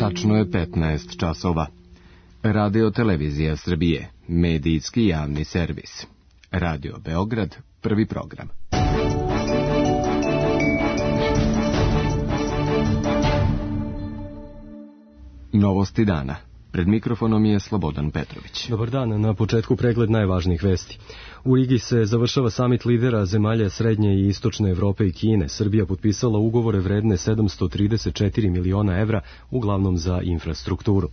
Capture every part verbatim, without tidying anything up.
Tačno je petnaest časova. Radio Televizija Srbije, medijski javni servis. Radio Beograd, prvi program. Novosti dana. Pred mikrofonom je Slobodan Petrović. Dobar dan, na početku pregled najvažnijih vesti. U Rigi se završava samit lidera zemalja Srednje i Istočne Evrope i Kine. Srbija potpisala ugovore vredne sedamsto trideset četiri miliona evra, uglavnom za infrastrukturu.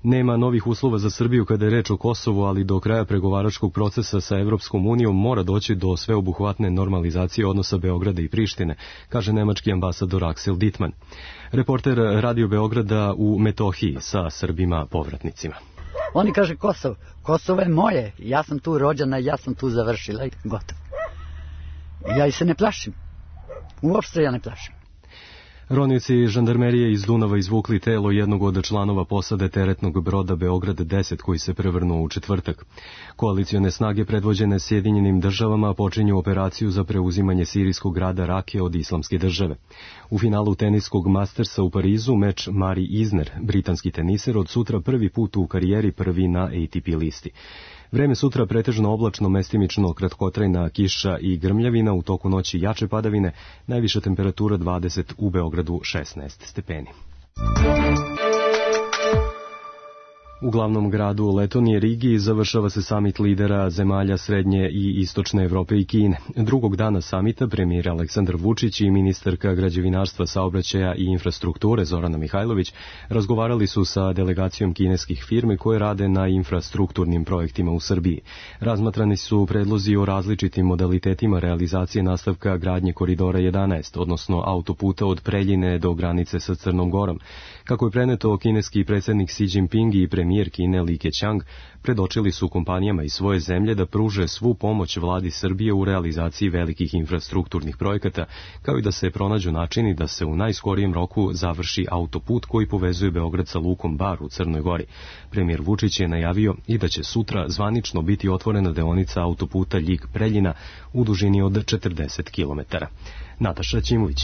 Nema novih uslova za Srbiju kada je reč o Kosovu, ali do kraja pregovaračkog procesa sa Evropskom unijom mora doći do sveobuhvatne normalizacije odnosa Beograda i Prištine, kaže nemački ambasador Aksel Dittmann. Reporter Radio Beograda u Metohiji sa Srbima povratnicima. Oni kaže Kosovo. Kosovo je moje. Ja sam tu rođena, ja sam tu završila i gotovo. Ja i se ne plašim. Uopšte ja ne plašim. Ronioci žandarmerije iz Dunava izvukli telo jednog od članova posade teretnog broda Beograd deset koji se prevrnuo u četvrtak. Koalicione snage predvođene Sjedinjenim državama počinju operaciju za preuzimanje sirijskog grada Rake od Islamske države. U finalu teniskog Mastersa u Parizu meč Mari Isner, britanski teniser, od sutra prvi put u karijeri prvi na A T P listi. Vreme sutra pretežno oblačno, mestimično kratkotrajna kiša i grmljavina, u toku noći jače padavine, najviša temperatura dvadeset, u Beogradu šesnaest stepeni. U glavnom gradu Letonije Rigi završava se samit lidera zemalja Srednje i Istočne Evrope i Kine. Drugog dana samita premijer Aleksandar Vučić i ministarka građevinarstva, saobraćaja i infrastrukture Zorana Mihajlović razgovarali su sa delegacijom kineskih firmi koje rade na infrastrukturnim projektima u Srbiji. Razmatrani su predlozi o različitim modalitetima realizacije nastavka gradnje koridora jedanaest, odnosno autoputa od Preljine do granice sa Crnom Gorom. Kako je preneto, kineski predsjednik Xi Jinping i premijer Kine Li Keqiang predočili su kompanijama iz svoje zemlje da pruže svu pomoć vladi Srbije u realizaciji velikih infrastrukturnih projekata, kao i da se pronađu načini da se u najskorijem roku završi autoput koji povezuje Beograd sa lukom Bar u Crnoj Gori. Premijer Vučić je najavio i da će sutra zvanično biti otvorena deonica autoputa Ljig-Preljina u dužini od četrdeset kilometara. Nataša Ćimović.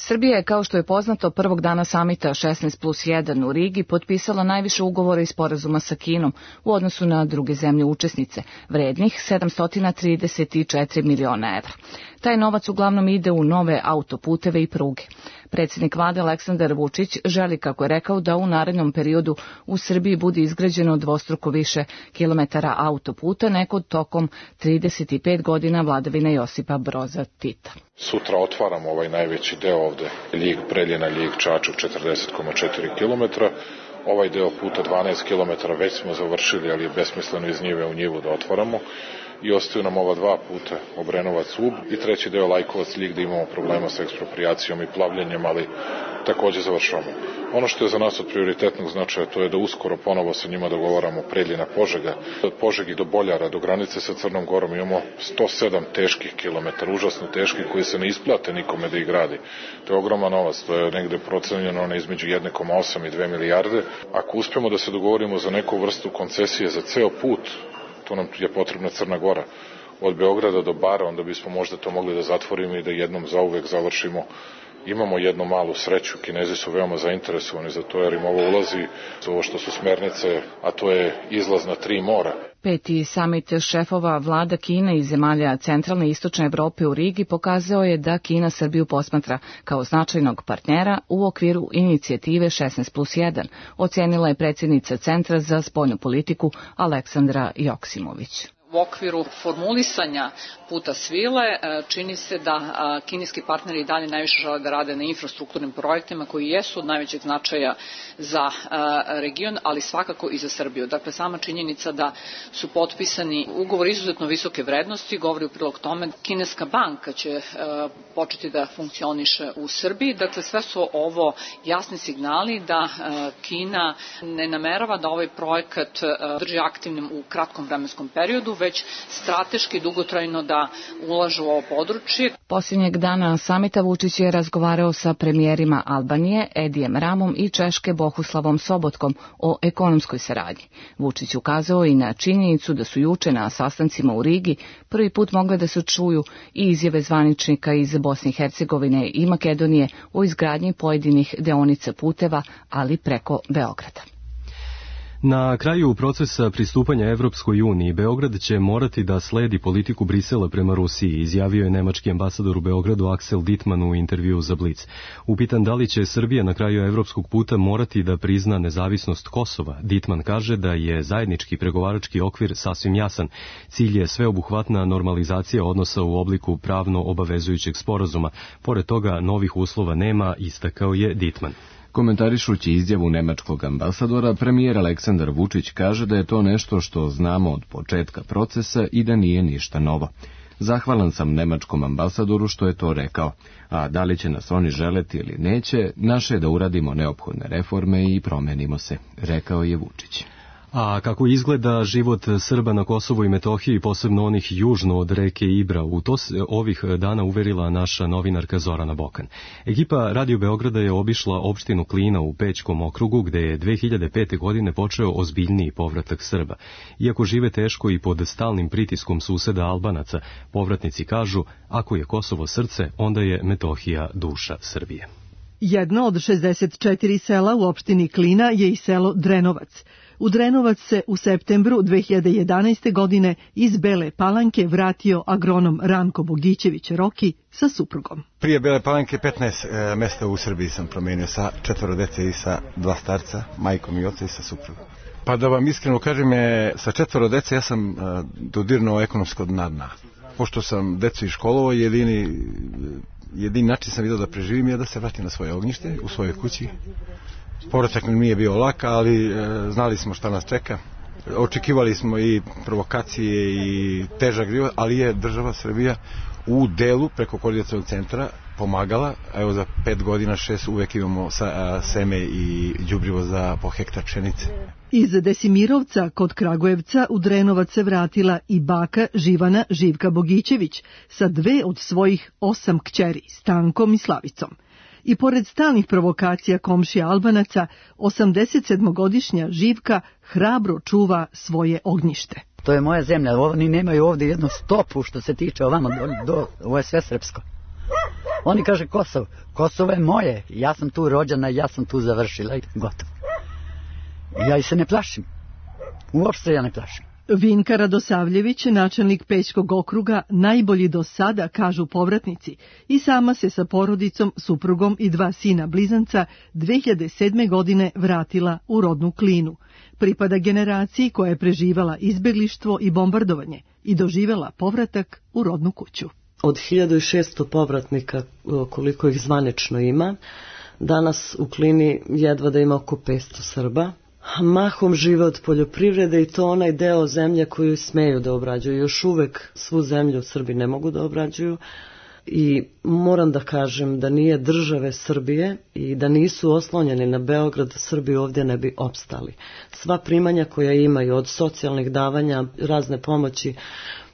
Srbija je, kao što je poznato, prvog dana samita šesnaest plus jedan u Rigi potpisala najviše ugovora i sporazuma sa Kinom u odnosu na druge zemlje učesnice, vrednih sedamsto trideset četiri miliona evra. Taj novac uglavnom ide u nove autoputeve i pruge. Predsjednik vlade Aleksandar Vučić želi, kako je rekao, da u narednom periodu u Srbiji bude izgrađeno dvostruko više kilometara autoputa nego tokom trideset pet godina vladavine Josipa Broza Tita. Sutra otvaramo ovaj najveći deo ovde, Ljig-Preljina, Ljig-Čačak, četrdeset zarez četiri kilometra. Ovaj deo puta dvanaest kilometara već smo završili, ali je besmisleno iz njive u njivu da otvaramo. I ostaju nam ova dva puta, Obrenovac-Ub, i treći deo Lajkovac-Ljig, da imamo problema sa eksproprijacijom i plavljenjem, ali takođe završavamo. Ono što je za nas od prioritetnog značaja, to je da uskoro ponovo sa njima dogovaramo Preljina-Požega. Od Požegi do Boljara, do granice sa Crnom Gorom, imamo sto sedam teških kilometara, užasno teških, koji se ne isplate nikome da ih gradi. To je ogroman novac, to je negde procenjeno na između jedan zarez osam i dve milijarde. Ako uspemo da se dogovorimo za neku vrstu koncesije za ceo put, to nam je potrebna Crna Gora, od Beograda do Bara, onda bismo možda to mogli da zatvorimo i da jednom zauvek završimo. Imamo jednu malu sreću, Kinezi su veoma zainteresovani za to, jer im ovo ulazi za ovo što su smernice, a to je izlaz na tri mora. Peti samit šefova vlada Kine i zemalja centralne i istočne Evrope u Rigi pokazao je da Kina Srbiju posmatra kao značajnog partnera u okviru inicijative šesnaest plus jedan, ocenila je predsjednica Centra za spoljnu politiku Aleksandra Joksimović. U okviru formulisanja puta svile čini se da kineski partneri i dalje najviše žele da rade na infrastrukturnim projektima koji jesu od najvećeg značaja za region, ali svakako i za Srbiju. Dakle, sama činjenica da su potpisani ugovor izuzetno visoke vrednosti govori u prilog tome. Kineska banka će početi da funkcioniše u Srbiji. Dakle, sve su ovo jasni signali da Kina ne namerava da ovaj projekat drži aktivnim u kratkom vremenskom periodu, već strateški dugotrajno da ulažu u ovo područje. Posljednjeg dana samita Vučić je razgovarao sa premijerima Albanije, Edijem Ramom i Češke Bohuslavom Sobotkom o ekonomskoj saradnji. Vučić ukazao i na činjenicu da su juče na sastancima u Rigi prvi put mogle da se čuju i izjave zvaničnika iz Bosne i Hercegovine i Makedonije o izgradnji pojedinih deonica puteva, ali preko Beograda. Na kraju procesa pristupanja Evropskoj uniji, Beograd će morati da sledi politiku Brisela prema Rusiji, izjavio je nemački ambasador u Beogradu Axel Dittmann u intervjuu za Blic. Upitan da li će Srbija na kraju evropskog puta morati da prizna nezavisnost Kosova, Dittmann kaže da je zajednički pregovarački okvir sasvim jasan. Cilj je sveobuhvatna normalizacija odnosa u obliku pravno obavezujućeg sporazuma. Pored toga, novih uslova nema, istakao je Dittmann. Komentarišući izjavu nemačkog ambasadora, premijer Aleksandar Vučić kaže da je to nešto što znamo od početka procesa i da nije ništa novo. Zahvalan sam nemačkom ambasadoru što je to rekao, a da li će nas oni želeti ili neće, naše je da uradimo neophodne reforme i promenimo se, rekao je Vučić. A kako izgleda život Srba na Kosovu i Metohiji, posebno onih južno od reke Ibra, u to se ovih dana uverila naša novinarka Zorana Bokan. Ekipa Radio Beograda je obišla opštinu Klina u Pećkom okrugu, gde je dve hiljade pete. godine počeo ozbiljniji povratak Srba. Iako žive teško i pod stalnim pritiskom suseda Albanaca, povratnici kažu, ako je Kosovo srce, onda je Metohija duša Srbije. Jedno od šezdeset četiri sela u opštini Klina je i selo Drenovac. U Drenovac se u septembru dve hiljade jedanaeste. godine iz Bele Palanke vratio agronom Ranko Bogićević Roki sa suprugom. Prije Bele Palanke petnaest e, mesta u Srbiji sam promenio sa četvoro dece i sa dva starca, majkom i ocem i sa suprugom. Pa da vam iskreno kažem, je, sa četvoro dece ja sam e, dodirnuo ekonomsko dna dna. Pošto sam decu iškolovao, jedini, jedini način sam vidio da preživim je da se vratim na svoje ognjište, u svojoj kući. Povratak nam nije bio lak, ali e, znali smo šta nas čeka. Očekivali smo i provokacije i težak život, ali je država Srbija u delu preko koordinacionog centra pomagala. Evo za pet godina, šest uvek imamo sa, a, seme i đubrivo za po hektar pšenice. Iz Desimirovca kod Kragujevca u Drenovac se vratila i baka Živana Živka Bogićević sa dve od svojih osam kćeri, Stankom i Slavicom. I pored stalnih provokacija komšija Albanaca, osamdesetsedmogodišnja Živka hrabro čuva svoje ognjište. To je moja zemlja, oni nemaju ovdje jednu stopu što se tiče ovamo, do, do, ovo je sve srpsko. Oni kaže Kosovo, Kosovo je moje, ja sam tu rođena, ja sam tu završila i gotovo. Ja i se ne plašim, uopšte ja ne plašim. Vinka Radosavljević, načelnik Pećkog okruga, najbolji do sada, kažu povratnici, i sama se sa porodicom, suprugom i dva sina blizanca dve hiljade sedme. godine vratila u rodnu Klinu. Pripada generaciji koja je preživala izbeglištvo i bombardovanje i doživela povratak u rodnu kuću. Od hiljadu šesto povratnika, koliko ih zvanično ima, danas u Klini jedva da ima oko petsto Srba. Mahom žive od poljoprivrede i to onaj deo zemlje koju smeju da obrađuju. Još uvek svu zemlju Srbi ne mogu da obrađuju i moram da kažem da nije države Srbije i da nisu oslonjeni na Beograd, Srbi ovdje ne bi opstali. Sva primanja koja imaju od socijalnih davanja, razne pomoći,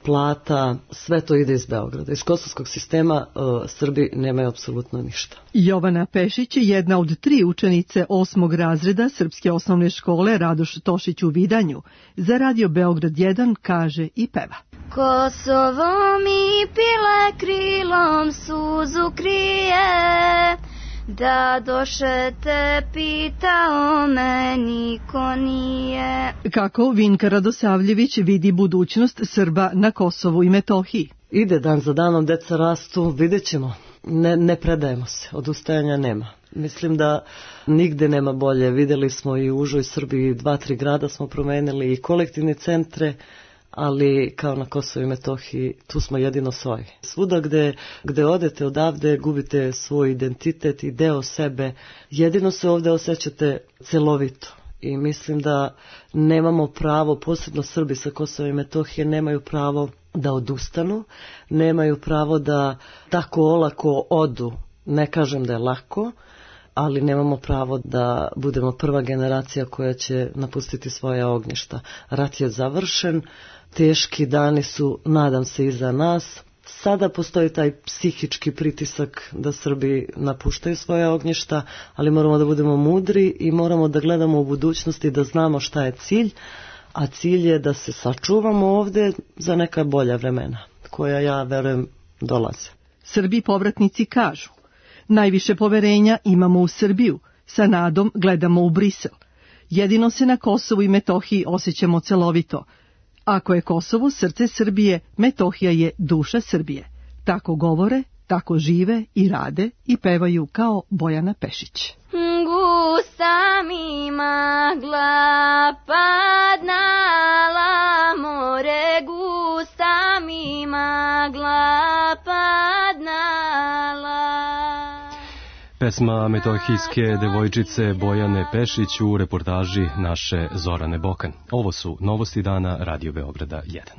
plata, sve to ide iz Beograda. Iz kosovskog sistema uh, Srbi nemaju apsolutno ništa. Jovana Pešić je jedna od tri učenice osmog razreda Srpske osnovne škole Radoš Tošić u Vidanju. Za Radio Beograd jedan kaže i peva. Kosovo mi pile krilom suzu krije, da doše te pitao me niko nije. Kako Vinka Radosavljević vidi budućnost Srba na Kosovu i Metohiji? Ide dan za danom, deca rastu, vidjet ćemo. Ne, ne predajemo se, odustajanja nema. Mislim da nigde nema bolje. Vidjeli smo i u užoj Srbiji, dva, tri grada smo promenili i kolektivne centre, ali kao na Kosovu i Metohiji tu smo jedino svoji. Svuda gde, gde odete odavde gubite svoj identitet i deo sebe. Jedino se ovdje osjećate celovito. I mislim da nemamo pravo, posebno Srbi sa Kosova i Metohije, nemaju pravo da odustanu, nemaju pravo da tako olako odu. Ne kažem da je lako, ali nemamo pravo da budemo prva generacija koja će napustiti svoje ognjišta. Rat je završen, teški dani su, nadam se, iza nas. Sada postoji taj psihički pritisak da Srbi napuštaju svoje ognjišta, ali moramo da budemo mudri i moramo da gledamo u budućnosti, da znamo šta je cilj, a cilj je da se sačuvamo ovde za neka bolja vremena, koja, ja verujem, dolaze. Srbi povratnici kažu: najviše poverenja imamo u Srbiju, sa nadom gledamo u Brisel. Jedino se na Kosovu i Metohiji osjećamo celovito. Ako je Kosovo srce Srbije, Metohija je duša Srbije. Tako govore, tako žive i rade i pevaju kao Bojana Pešić. Gusta mi magla padnala more, gusta mi magla padnala. Pesma metohijske devojčice Bojane Pešić u reportaži naše Zorane Bokan. Ovo su novosti dana Radio Beograda jedan.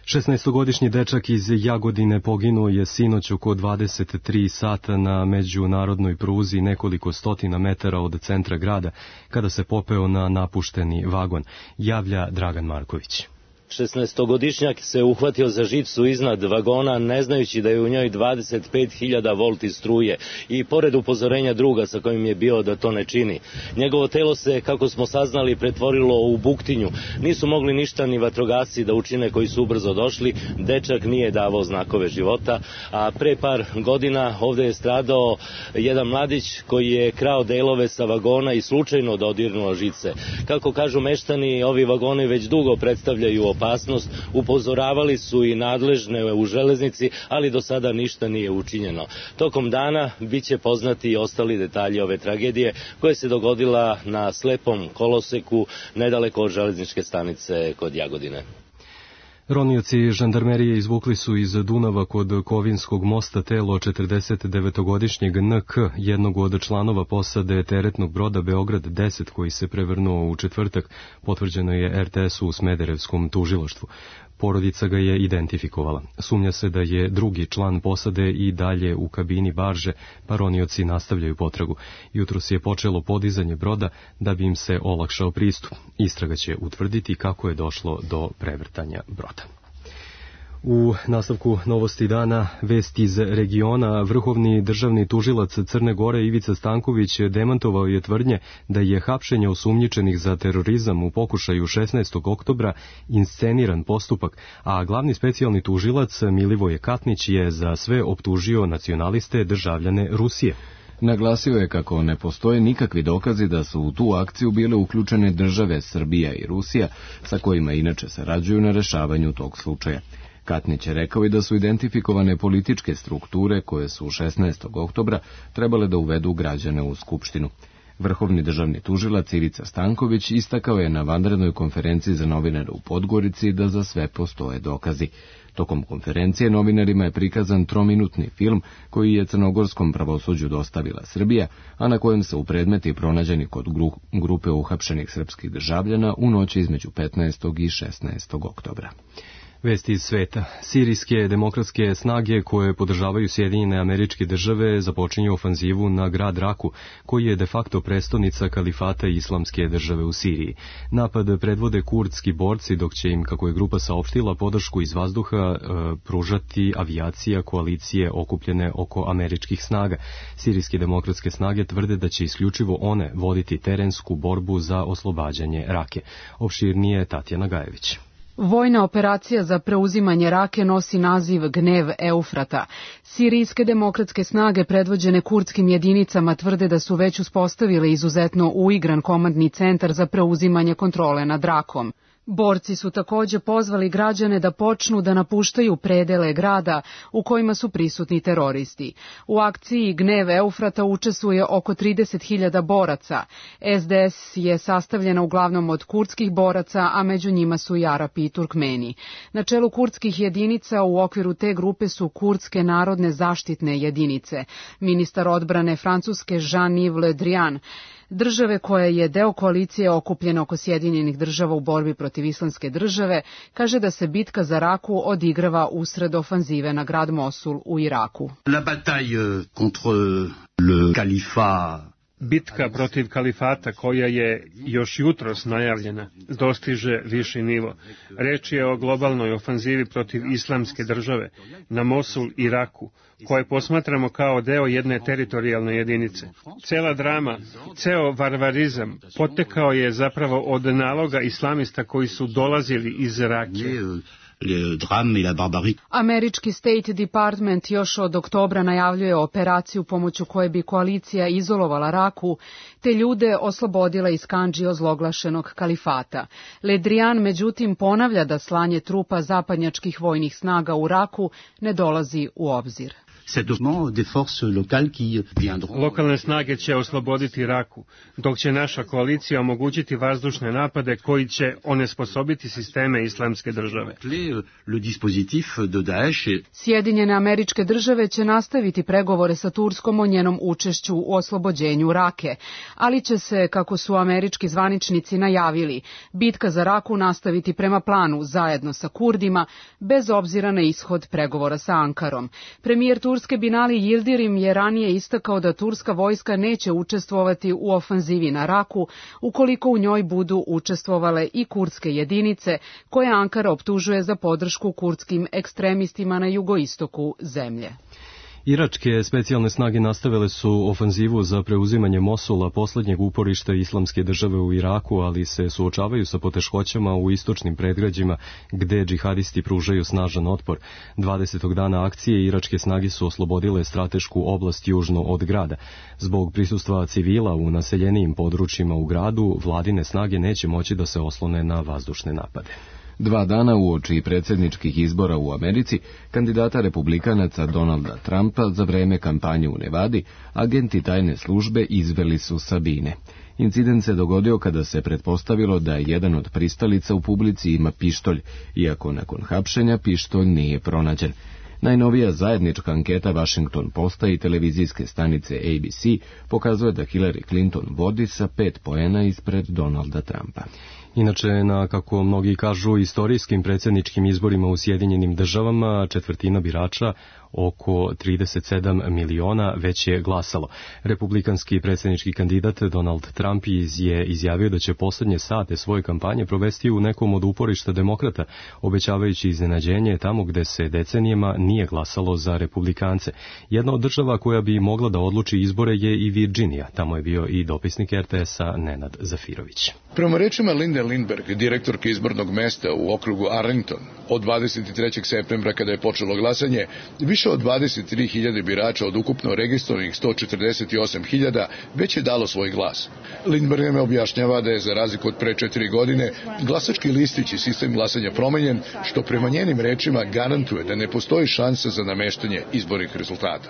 šesnaestogodišnji dečak iz Jagodine poginuo je sinoć oko dvadeset tri sata na međunarodnoj pruzi nekoliko stotina metara od centra grada kada se popeo na napušteni vagon, javlja Dragan Marković. šesnaestogodišnjak se uhvatio za žicu iznad vagona, ne znajući da je u njoj dvadeset pet hiljada volti struje i pored upozorenja druga sa kojim je bio da to ne čini. Njegovo telo se, kako smo saznali, pretvorilo u buktinju. Nisu mogli ništa ni vatrogasci da učine koji su ubrzo došli. Dečak nije davao znakove života, a pre par godina ovde je stradao jedan mladić koji je krao delove sa vagona i slučajno dodirnuo žice. Kako kažu meštani, ovi vagoni već dugo predstavljaju opasnost, upozoravali su i nadležne u železnici, ali do sada ništa nije učinjeno. Tokom dana biće poznati i ostali detalji ove tragedije koja se dogodila na slepom koloseku nedaleko od železničke stanice kod Jagodine. Ronioci žandarmerije izvukli su iz Dunava kod Kovinskog mosta telo četrdesetdevetogodišnjeg N K, jednog od članova posade teretnog broda Beograd deset koji se prevrnuo u četvrtak, potvrđeno je R T S-u u Smederevskom tužilaštvu. Porodica ga je identifikovala. Sumnja se da je drugi član posade i dalje u kabini barže, pa ronioci nastavljaju potragu. Jutros je počelo podizanje broda da bi im se olakšao pristup. Istraga će utvrditi kako je došlo do prevrtanja broda. U nastavku novosti dana, vest iz regiona, vrhovni državni tužilac Crne Gore Ivica Stanković demantovao je tvrdnje da je hapšenje osumnjičenih za terorizam u pokušaju šesnaestog oktobra insceniran postupak, a glavni specijalni tužilac Milivoje Katnić je za sve optužio nacionaliste državljane Rusije. Naglasio je kako ne postoje nikakvi dokazi da su u tu akciju bile uključene države Srbija i Rusija, sa kojima inače sarađuju na rešavanju tog slučaja. Katnić je rekao i da su identifikovane političke strukture koje su šesnaestog oktobra trebale da uvedu građane u Skupštinu. Vrhovni državni tužilac Ivica Stanković istakao je na vanrednoj konferenciji za novinare u Podgorici da za sve postoje dokazi. Tokom konferencije novinarima je prikazan trominutni film koji je crnogorskom pravosuđu dostavila Srbija, a na kojem se u predmeti pronađeni kod grupe uhapšenih srpskih državljana u noći između petnaestog i šesnaestog oktobra. Vesti iz sveta. Sirijske demokratske snage koje podržavaju Sjedinjene Američke Države započinju ofanzivu na grad Raku, koji je de facto prestonica kalifata Islamske države u Siriji. Napad predvode kurdski borci, dok će im, kako je grupa saopštila, podršku iz vazduha e, pružati avijacija koalicije okupljene oko američkih snaga. Sirijske demokratske snage tvrde da će isključivo one voditi terensku borbu za oslobađanje Rake. Opširnije Tatjana Gajević. Vojna operacija za preuzimanje Rake nosi naziv Gnev Eufrata. Sirijske demokratske snage predvođene kurdskim jedinicama tvrde da su već uspostavile izuzetno uigran komandni centar za preuzimanje kontrole nad Rakom. Borci su takođe pozvali građane da počnu da napuštaju predele grada u kojima su prisutni teroristi. U akciji Gnev Eufrata učestvuje oko trideset hiljada boraca. S D S je sastavljena uglavnom od kurdskih boraca, a među njima su i Arapi i Turkmeni. Na čelu kurdskih jedinica u okviru te grupe su kurdske narodne zaštitne jedinice. Ministar odbrane Francuske Jean-Yves Le Drian države koja je deo koalicije okupljena oko Sjedinjenih država u borbi protiv islamske države, kaže da se bitka za Raku odigrava usred ofanzive na grad Mosul u Iraku. La bataille contre le califat. Bitka protiv kalifata, koja je još jutros najavljena, dostiže viši nivo. Reč je o globalnoj ofanzivi protiv islamske države na Mosul, Iraku, koje posmatramo kao deo jedne teritorijalne jedinice. Cela drama, ceo varvarizam potekao je zapravo od naloga islamista koji su dolazili iz Rakije. Američki State Department još od oktobra najavljuje operaciju pomoću koje bi koalicija izolovala Raku, te ljude oslobodila iz kandži ozloglašenog kalifata. Le Drian međutim ponavlja da slanje trupa zapadnjačkih vojnih snaga u Raku ne dolazi u obzir. Lokalne snage će osloboditi Raku, dok će naša koalicija omogućiti vazdušne napade koji će onesposobiti sisteme islamske države. Sjedinjene Američke države će nastaviti pregovore sa Turskom o njenom učešću u oslobođenju Rake, ali će se, kako su američki zvaničnici najavili, bitka za Raku nastaviti prema planu zajedno sa Kurdima, bez obzira na ishod pregovora sa Ankarom. Premijer Turske Binali Yildirim je ranije istakao da turska vojska neće učestvovati u ofanzivi na Raku ukoliko u njoj budu učestvovale i kurdske jedinice koje Ankara optužuje za podršku kurdskim ekstremistima na jugoistoku zemlje. Iračke specijalne snage nastavile su ofanzivu za preuzimanje Mosula, poslednjeg uporišta islamske države u Iraku, ali se suočavaju sa poteškoćama u istočnim predgrađima gde džihadisti pružaju snažan otpor. dvadesetog dana akcije iračke snage su oslobodile stratešku oblast južno od grada. Zbog prisustva civila u naseljenijim područjima u gradu, vladine snage neće moći da se oslone na vazdušne napade. Dva dana uoči predsjedničkih izbora u Americi, kandidata republikanaca Donalda Trumpa za vreme kampanje u Nevadi, agenti tajne službe izveli su Sabine. Incident se dogodio kada se pretpostavilo da jedan od pristalica u publici ima pištolj, iako nakon hapšenja pištolj nije pronađen. Najnovija zajednička anketa Washington Posta i televizijske stanice A B C pokazuje da Hillary Clinton vodi sa pet poena ispred Donalda Trumpa. Inače, na, kako mnogi kažu, istorijskim predsjedničkim izborima u Sjedinjenim državama četvrtina birača, oko trideset sedam miliona, već je glasalo. Republikanski predsjednički kandidat Donald Trump je izjavio da će poslednje sate svoje kampanje provesti u nekom od uporišta demokrata, obećavajući iznenađenje tamo gde se decenijama nije glasalo za republikance. Jedna od država koja bi mogla da odluči izbore je i Virginija. Tamo je bio i dopisnik R T S-a Nenad Zafirović. Prema rečima Linde Lindberg, direktorke izbornog mesta u okrugu Arlington, od dvadeset trećeg septembra kada je počelo glasanje, više od dvadeset tri hiljade birača od ukupno registrovanih sto četrdeset osam hiljada već je dalo svoj glas. Lindberg nam objašnjava da je za razliku od pre četiri godine glasački listić i sistem glasanja promenjen, što prema njenim rečima garantuje da ne postoji šansa za nameštanje izbornih rezultata.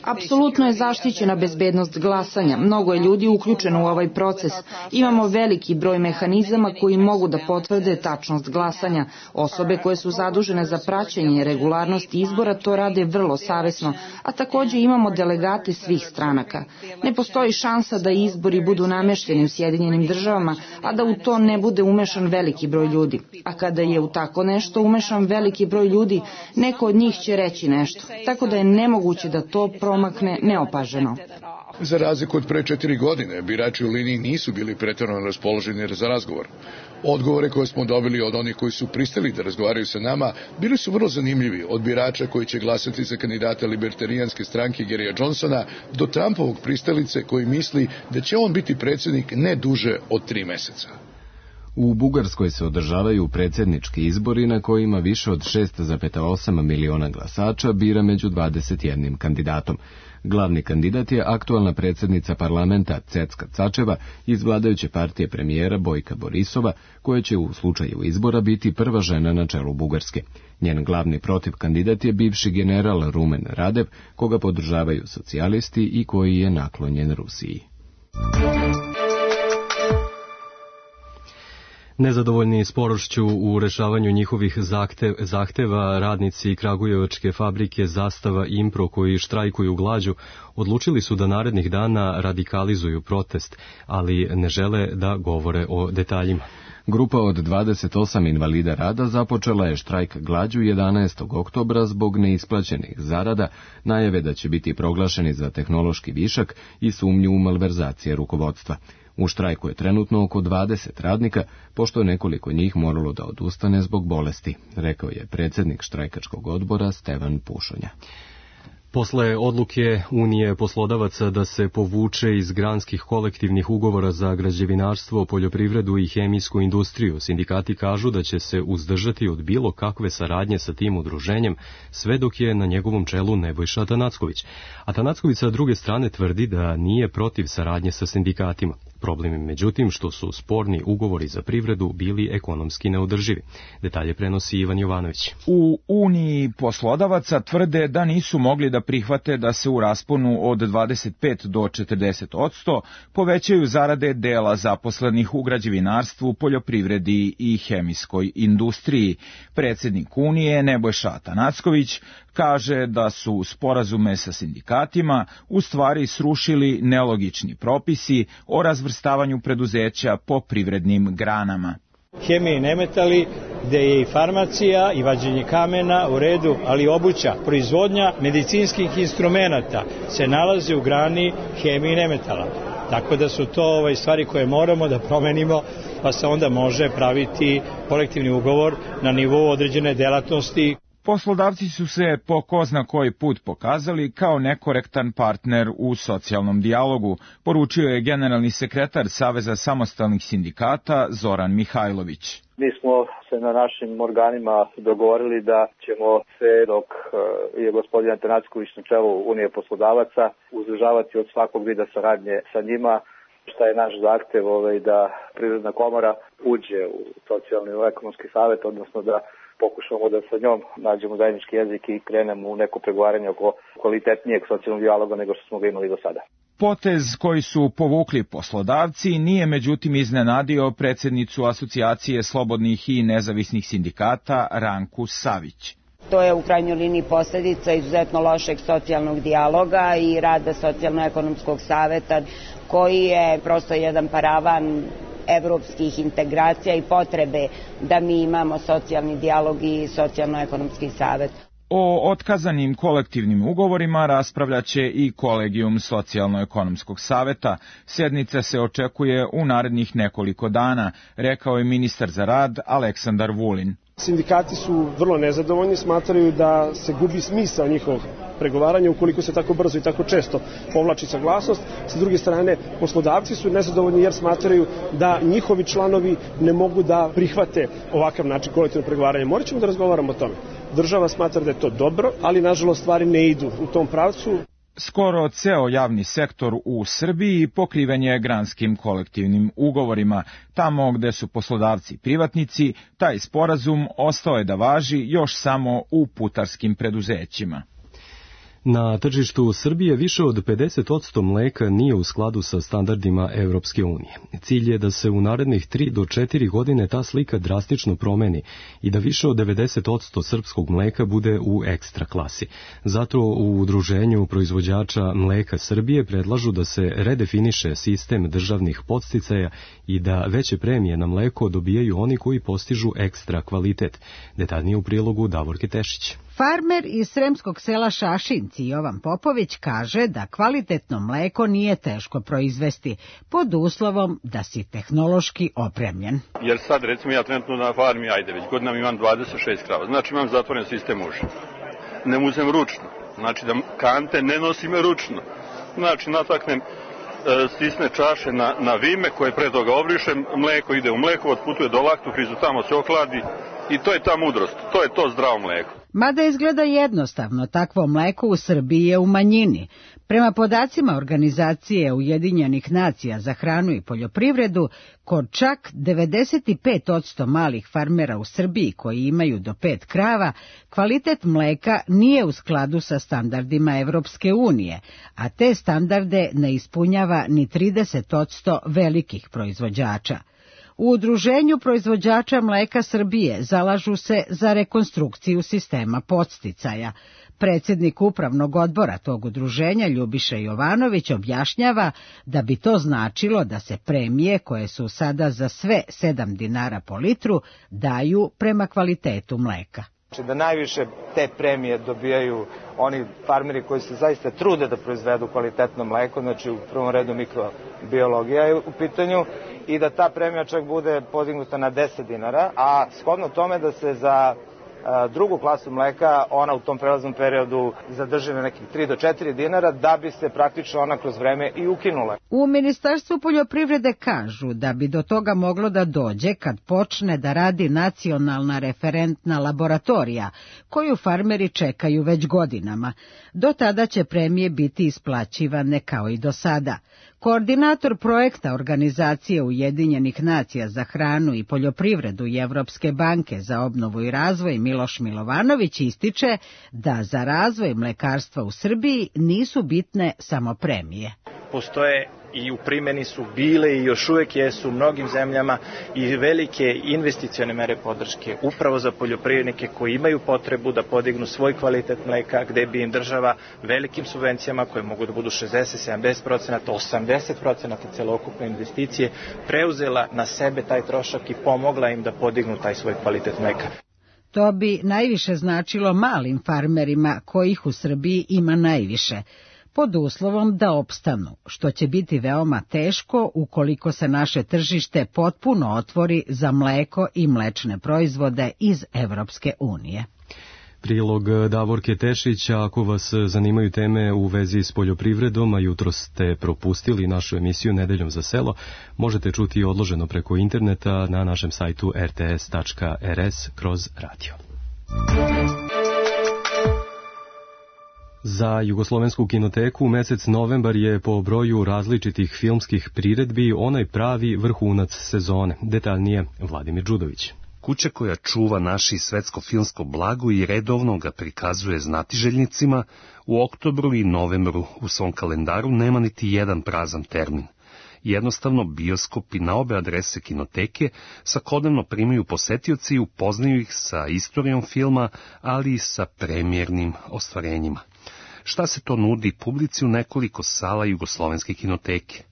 Apsolutno je zaštićena bezbednost glasanja. Mnogo je ljudi uključeno u ovaj proces. Imamo veliki broj mehanizama koji mogu da potvrde tačnost glasanja. Osobe koje su zadužene za praćenje regularnosti izbora to rade vrlo savesno, a takođe imamo delegate svih stranaka. Ne postoji šansa da izbori budu namešteni u Sjedinjenim državama, a da u to ne bude umešan veliki broj ljudi. A kada je u tako nešto umešan veliki broj ljudi, neko od njih će reći nešto. Tako da je nemoguće da to promakne neopaženo. Za razliku od pre četiri godine, birači u liniji nisu bili pretjerano raspoloženi za razgovor. Odgovore koje smo dobili od onih koji su pristali da razgovaraju sa nama bili su vrlo zanimljivi, od birača koji će glasati za kandidata libertarijanske stranke Garyja Johnsona do Trumpovog pristalice koji misli da će on biti predsjednik ne duže od tri meseca. U Bugarskoj se održavaju predsjednički izbori na kojima više od šest zarez osam miliona glasača bira među dvadeset jednim kandidatom. Glavni kandidat je aktualna predsjednica parlamenta Cecka Cačeva iz vladajuće partije premijera Bojka Borisova, koja će u slučaju izbora biti prva žena na čelu Bugarske. Njen glavni protiv kandidat je bivši general Rumen Radev, koga podržavaju socijalisti i koji je naklonjen Rusiji. Nezadovoljni sporošću u rešavanju njihovih zahtev, zahteva, radnici kragujevačke fabrike Zastava i Impro koji štrajkuju glađu odlučili su da narednih dana radikalizuju protest, ali ne žele da govore o detaljima. Grupa od dvadeset osam invalida rada započela je štrajk glađu jedanaestog oktobra zbog neisplaćenih zarada, najave da će biti proglašeni za tehnološki višak i sumnju u malverzacije rukovodstva. U štrajku je trenutno oko dvadeset radnika, pošto je nekoliko njih moralo da odustane zbog bolesti, rekao je predsjednik štrajkačkog odbora Stevan Pušonja. Posle odluke Unije poslodavaca da se povuče iz granskih kolektivnih ugovora za građevinarstvo, poljoprivredu i hemijsku industriju, sindikati kažu da će se uzdržati od bilo kakve saradnje sa tim udruženjem, sve dok je na njegovom čelu Nebojša Atanacković. Atanacković sa druge strane tvrdi da nije protiv saradnje sa sindikatima. Problem je međutim što su sporni ugovori za privredu bili ekonomski neodrživi. Detalje prenosi Ivan Jovanović. U Uniji poslodavaca tvrde da nisu mogli da prihvate da se u rasponu od dvadeset pet do četrdeset odsto povećaju zarade dela zaposlenih u građevinarstvu, poljoprivredi i hemijskoj industriji. Predsjednik Unije Nebojša Atanacković kaže da su sporazume sa sindikatima u stvari srušili nelogični propisi o razvrstavanju preduzeća po privrednim granama. Hemija i nemetali, gde je i farmacija i vađenje kamena u redu, ali obuća, proizvodnja medicinskih instrumenata se nalaze u grani hemije i nemetala. Tako da su to ovaj, stvari koje moramo da promenimo, pa se onda može praviti kolektivni ugovor na nivou određene delatnosti. Poslodavci su se po ko zna koji put pokazali kao nekorektan partner u socijalnom dijalogu, poručio je generalni sekretar Saveza samostalnih sindikata Zoran Mihajlović. Mi smo se na našim organima dogovorili da ćemo sve dok je gospodin Atanacković na čelu Unije poslodavaca uzdržavati od svakog vida saradnje sa njima. Šta je naš zahtev ovaj, da Privredna komora uđe u socijalni i ekonomski savjet, odnosno da pokušamo da sa njom nađemo zajednički jezik i krenemo u neko pregovaranje oko kvalitetnijeg socijalnog dijaloga nego što smo ga imali do sada. Potez koji su povukli poslodavci nije međutim iznenadio predsjednicu Asocijacije slobodnih i nezavisnih sindikata Ranku Savić. To je u krajnjoj liniji posljedica izuzetno lošeg socijalnog dijaloga i rada socijalno-ekonomskog saveta koji je prosto jedan paravan evropskih integracija i potrebe da mi imamo socijalni dijalog i socijalno-ekonomski savet. O otkazanim kolektivnim ugovorima raspravljaće i Kolegijum socijalno-ekonomskog saveta. Sednica se očekuje u narednih nekoliko dana, rekao je ministar za rad Aleksandar Vulin. Sindikati su vrlo nezadovoljni, smatraju da se gubi smisao njihovog pregovaranja ukoliko se tako brzo i tako često povlači saglasnost. Sa druge strane, poslodavci su nezadovoljni jer smatraju da njihovi članovi ne mogu da prihvate ovakav način kolektivnog pregovaranja. Morat ćemo da razgovaramo o tome. Država smatra da je to dobro, ali nažalost stvari ne idu u tom pravcu. Skoro ceo javni sektor u Srbiji pokriven je granskim kolektivnim ugovorima. Tamo gde su poslodavci privatnici, taj sporazum ostao je da važi još samo u putarskim preduzećima. Na tržištu Srbije više od pedeset odsto mleka nije u skladu sa standardima Evropske unije. Cilj je da se u narednih tri do četiri godine ta slika drastično promeni i da više od devedeset odsto srpskog mleka bude u ekstra klasi. Zato u Udruženju proizvođača mleka Srbije predlažu da se redefiniše sistem državnih podsticaja i da veće premije na mleko dobijaju oni koji postižu ekstra kvalitet. Detaljnije u prilogu Davorke Tešić. Farmer iz sremskog sela Šašinci Jovan Popović kaže da kvalitetno mleko nije teško proizvesti pod uslovom da si tehnološki opremljen. Jer sad recimo ja trenutno na farmi, ajde već godinama imam dvadeset šest krava, znači imam zatvoren sistem uša. Ne muzem ručno, znači da kante ne nosim ručno, znači nataknem e, stisne čaše na, na vime koje pre toga obrišem, mleko ide u mlekovod, putuje do laktofrizu, tamo se ohladi i to je ta mudrost, to je to zdravo mleko. Mada izgleda jednostavno, takvo mleko u Srbiji je u manjini. Prema podacima Organizacije Ujedinjenih nacija za hranu i poljoprivredu, kod čak devedeset pet odsto malih farmera u Srbiji koji imaju do pet krava, kvalitet mleka nije u skladu sa standardima Evropske unije, a te standarde ne ispunjava ni trideset odsto velikih proizvođača. U Udruženju proizvođača mleka Srbije zalažu se za rekonstrukciju sistema podsticaja. Predsjednik upravnog odbora tog udruženja Ljubiša Jovanović objašnjava da bi to značilo da se premije koje su sada za sve sedam dinara po litru daju prema kvalitetu mleka. Znači da najviše te premije dobijaju oni farmeri koji se zaista trude da proizvedu kvalitetno mleko, znači u prvom redu mikrobiologija je u pitanju i da ta premija čak bude podignuta na deset dinara, a shodno tome da se za drugu klasu mleka ona u tom prelaznom periodu zadrži na nekih tri do četiri dinara da bi se praktično ona kroz vreme i ukinula. U Ministarstvu poljoprivrede kažu da bi do toga moglo da dođe kad počne da radi nacionalna referentna laboratorija, koju farmeri čekaju već godinama. Do tada će premije biti isplaćivane kao i do sada. Koordinator projekta Organizacije Ujedinjenih nacija za hranu i poljoprivredu i Evropske banke za obnovu i razvoj Miloš Milovanović ističe da za razvoj mlekarstva u Srbiji nisu bitne samo premije. Postoje i u primjeni su bile i još uvijek jesu u mnogim zemljama i velike investicione mere podrške upravo za poljoprivrednike koji imaju potrebu da podignu svoj kvalitet mleka, gde bi im država velikim subvencijama koje mogu da budu šezdeset do sedamdeset procenata, osamdeset procenata celokupne investicije preuzela na sebe taj trošak i pomogla im da podignu taj svoj kvalitet mleka. To bi najviše značilo malim farmerima kojih u Srbiji ima najviše, pod uslovom da opstanu, što će biti veoma teško ukoliko se naše tržište potpuno otvori za mleko i mlečne proizvode iz Evropske unije. Prilog Davorke Tešić, ako vas zanimaju teme u vezi s poljoprivredom, a jutro ste propustili našu emisiju Nedeljom za selo, možete čuti odloženo preko interneta na našem sajtu r t s tačka r s kroz radio. Za Jugoslovensku kinoteku mesec novembar je po broju različitih filmskih priredbi onaj pravi vrhunac sezone. Detaljnije Vladimir Đudović. Kuća koja čuva naše svetsko filmsko blago i redovno ga prikazuje znatiželjnicima, u oktobru i novembru u svom kalendaru nema niti jedan prazan termin. Jednostavno, bioskopi na obe adrese kinoteke svakodnevno primaju posetioci i upoznaju ih sa istorijom filma, ali i sa premijernim ostvarenjima. Šta se to nudi publici u nekoliko sala Jugoslovenske kinoteke?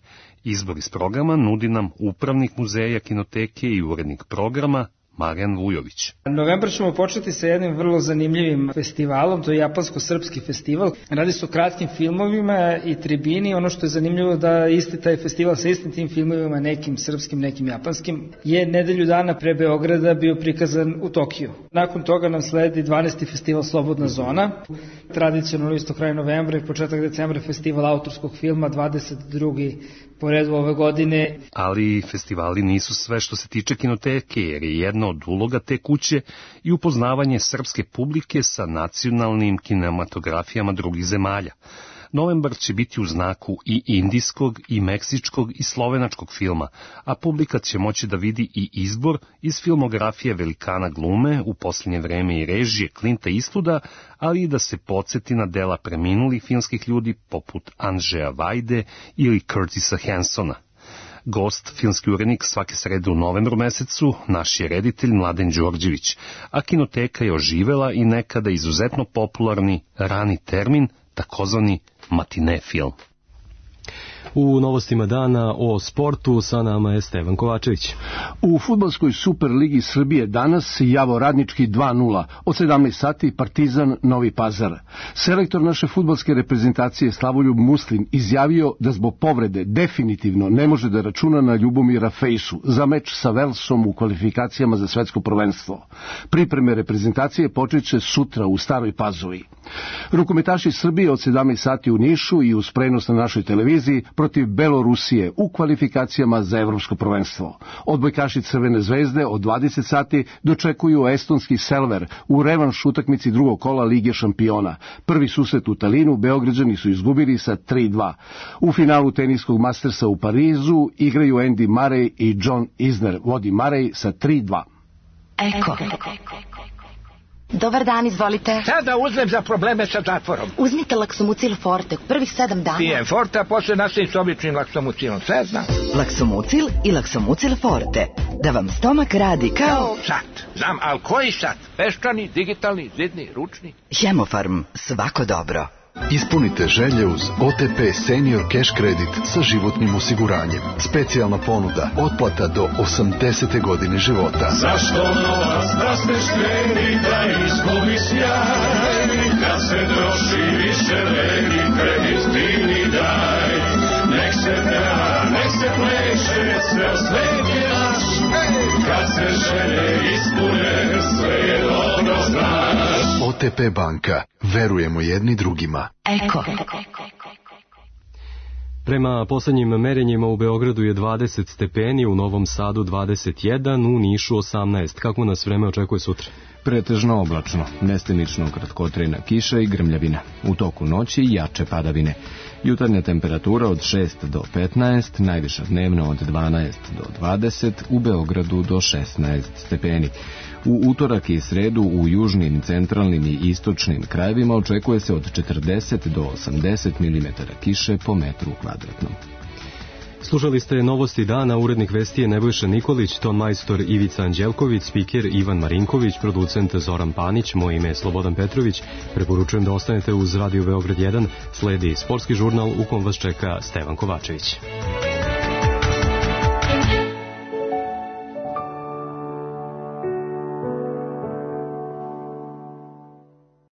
Izbor iz programa nudi nam upravnik muzeja kinoteke i urednik programa Marijan Vujović. Novembar ćemo početi sa jednim vrlo zanimljivim festivalom, to je japansko-srpski festival. Radi se o kratkim filmovima i tribini. Ono što je zanimljivo da isti taj festival sa istim tim filmovima, nekim srpskim, nekim japanskim, je nedelju dana pre Beograda bio prikazan u Tokiju. Nakon toga nam sledi dvanaesti festival Slobodna zona. Tradicionalno isto kraj novembra i početak decembra festival autorskog filma, dvadeset drugi po redu ove godine. Ali festivali nisu sve što se tiče kinoteke, jer je jedna od uloga te kuće i upoznavanje srpske publike sa nacionalnim kinematografijama drugih zemalja. Novembar će biti u znaku i indijskog, i meksičkog, i slovenačkog filma, a publika će moći da vidi i izbor iz filmografije velikana glume, u posljednje vreme i režije Clinta Eastwooda, ali i da se podsjeti na dela preminulih filmskih ljudi poput Andžeja Vajde ili Curtisa Hansona. Gost, filmski urednik svake srede u novembru mesecu, naš je reditelj Mladen Đorđević, a kinoteka je oživela i nekada izuzetno popularni rani termin, takozvani matine film. U novostima dana o sportu sa nama je Stevan Kovačević. U fudbalskoj Superligi Srbije danas Javo Radnički dva nula, od sedamnaest sati Partizan Novi Pazar. Selektor naše fudbalske reprezentacije Slavoljub Muslim izjavio da zbog povrede definitivno ne može da računa na Ljubomira Fejsu za meč sa Velsom u kvalifikacijama za svetsko prvenstvo. Pripreme reprezentacije počeće sutra u Staroj Pazovi. Rukometaši Srbije od sedamnaest sati u Nišu i uz prenos na našoj televiziji protiv Belorusije u kvalifikacijama za evropsko prvenstvo. Odbojkaši Crvene zvezde od dvadeset sati dočekuju estonski Selver u revanš utakmici drugog kola Lige šampiona. Prvi susret u Talinu Beograđani su izgubili sa tri dva. U finalu teniskog Mastersa u Parizu igraju Andy Murray i John Isner. Vodi Murray sa tri dva. Eko. Dobar dan, izvolite. Šta da uzmem za probleme sa zatvorom? Uzmite Laksomucil Forte, prvih sedam dana. Pijem Forte, a posle nastavim s običnim Laksomucilom, sve znam. Laksomucil i Laksomucil Forte. da vam stomak radi kao... Sat, znam, ali koji sat? Peščani, digitalni, zidni, ručni? Hemofarm, svako dobro. Ispunite želje uz O T P Senior Cash Credit sa životnim osiguranjem. Specijalna ponuda, otplata do osamdesete godine života. Zašto novac da ste štreni, da izgubi sjaj? Kad se troši više vredi, kredit divni daj. Nek se peva, nek se pleše, ceo svet je naš. Kad se želje ispune, sve je dobro znaš. O T P banka. Verujemo jedni drugima. Eko. Prema poslednjim merenjima u Beogradu je dvadeset stepeni, u Novom Sadu dvadeset jedan, u Nišu osamnaest. Kako nas vreme očekuje sutra? Pretežno oblačno, mestimično kratkotrajna kiša i grmljavina. U toku noći jače padavine. Jutarnja temperatura od šest do petnaest, najviša dnevno od dvanaest do dvadeset, u Beogradu do šesnaest stepeni. U utorak i sredu u južnim, centralnim i istočnim krajevima očekuje se od četrdeset do osamdeset milimetara kiše po metru kvadratnom. Slušali ste novosti dana, urednik vesti je Nebojša Nikolić, ton majstor Ivica Anđelković, spiker Ivan Marinković, producent Zoran Panić, moje ime je Slobodan Petrović. Preporučujem da ostanete uz Radio Beograd jedan, sledi sportski žurnal u kom vas čeka Stevan Kovačević.